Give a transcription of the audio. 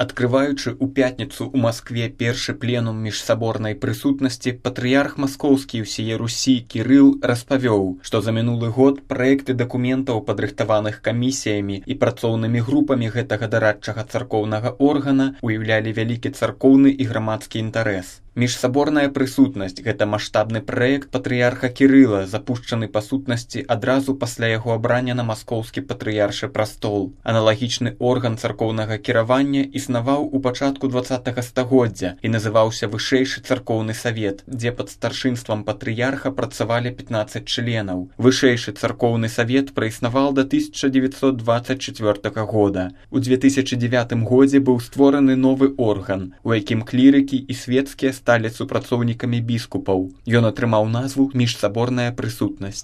Адкрываючы ў пятніцу ў Маскве першы пленум міжсаборнай прысутнасці, патрыярх маскоўскі ўсее Русі Кірыл распавёў, што за мінулы год праекты дакументаў, падрыхтаваных камісіямі і працоўнымі групамі гэтага дарадчага царкоўнага органа, уяўлялі вялікі царкоўны і грамадскі інтарэс. Міжсаборная прысутнасць – гэта маштабны праект патрыярха Кірыла, запушчаны па сутнасці адразу пасля яго абрання на маскоўскі патрыяршы прастол. Аналагічны орган царкоўнага кіравання існаваў у пачатку 20-га стагоддзя і называўся Вышэйшы царкоўны савет, дзе пад старшынствам патрыярха працавалі 15 членаў. Вышэйшы царкоўны савет праіснаваў да 1924 года. У 2009 годзе быў створаны новы орган, у якім клірыкі і свецкія сталі супрацоўнікамі біскупаў. Ён атрымаў назву «Міжсаборная прысутнасць».